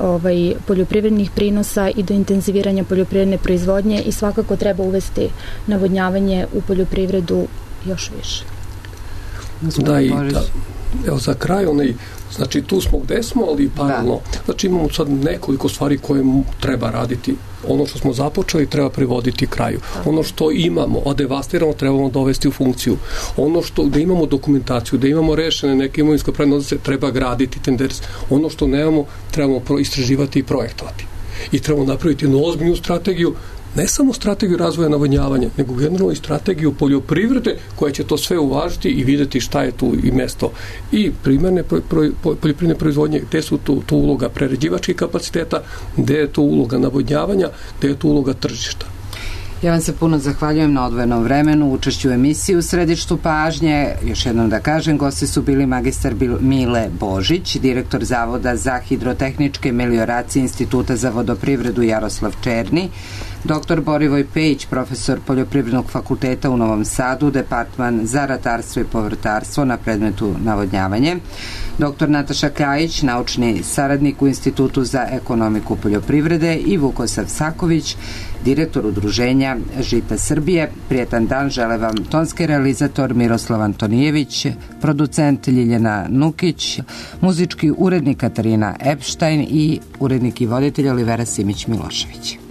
poljoprivrednih prinosa i do intenziviranja poljoprivredne proizvodnje i svakako treba uvesti navodnjavanje u poljoprivredu još više. Da, i evo za kraj, znači tu smo gde smo, ali paralelno, znači imamo sad nekoliko stvari koje treba raditi. Ono što smo započeli treba privoditi kraju. Ono što imamo, devastiramo, trebamo dovesti u funkciju. Ono što, da imamo dokumentaciju, da imamo rešene neke imovinsko-pravne odnose, treba graditi tenders. Ono što nemamo, trebamo istraživati i projektovati. I trebamo napraviti jednu ozbiljnu strategiju, ne samo strategiju razvoja navodnjavanja, nego generalno i strategiju poljoprivrede koja će to sve uvažiti i vidjeti šta je tu i mesto i primarne poljoprivredne proizvodnje, gde su tu uloga prerađivačkih kapaciteta, gde je tu uloga navodnjavanja, gde je tu uloga tržišta. Ja vam se puno zahvaljujem na odvojenom vremenu, učešću u emisiji u središtu pažnje. Još jednom da kažem, gosti su bili magistar Mile Božić, direktor Zavoda za hidrotehničke melioracije Instituta za vodoprivredu Jaroslav Černi, Dr. Borivoj Pejić, profesor Poljoprivrednog fakulteta u Novom Sadu, departman za ratarstvo i povrtarstvo na predmetu navodnjavanje. Dr. Nataša Kljajić, naučni saradnik u Institutu za ekonomiku poljoprivrede i Vukosav Saković, direktor udruženja Žita Srbije. Prijetan dan žele vam tonski realizator Miroslav Antonijević, producent Ljiljana Nukić, muzički urednik Katarina Epštajn i urednik i voditelj Olivera Simić-Milošević.